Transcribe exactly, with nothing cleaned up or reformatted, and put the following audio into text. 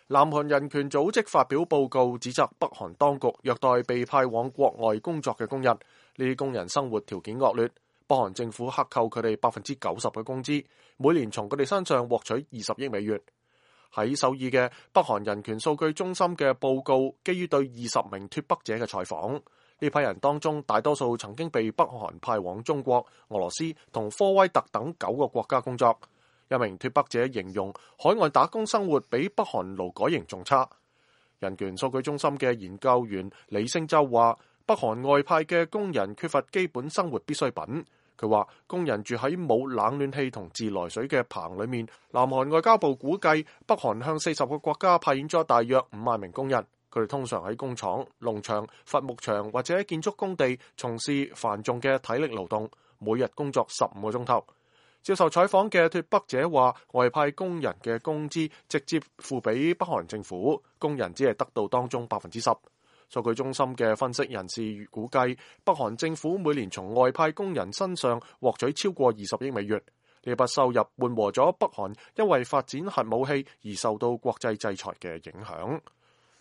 南韓人權組織發表報告，指責北韓當局虐待被派往國外工作嘅工人，呢啲工人生活條件惡劣。北韓政府克扣佢哋百分之九十嘅工資，每年從佢哋身上獲取二十億美元。喺首爾嘅北韓人權數據中心嘅報告，基於對二十名脫北者嘅採訪，呢批人當中大多數曾經被北韓派往中國、俄羅斯同科威特等九個國家工作。一名脫北者形容海外打工生活比北韓勞改營仲差。人權數據中心嘅研究員李星洲話，北韓外派嘅工人缺乏基本生活必需品。佢話工人住喺冇冷暖氣同自來水嘅棚裏面。南韓外交部估計，北韓向四十個國家派遣咗大約五萬名工人，佢哋通常喺工廠、農場、伐木場或者建築工地從事繁重嘅體力勞動，每日工作十五個鐘頭。接受採訪嘅脫北者話，外派工人嘅工資直接付俾北韓政府，工人只係得到當中百分之十。數據中心嘅分析人士估計，北韓政府每年從外派工人身上獲取超過二十億美元，呢筆收入緩和咗北韓因為發展核武器而受到國際制裁嘅影響。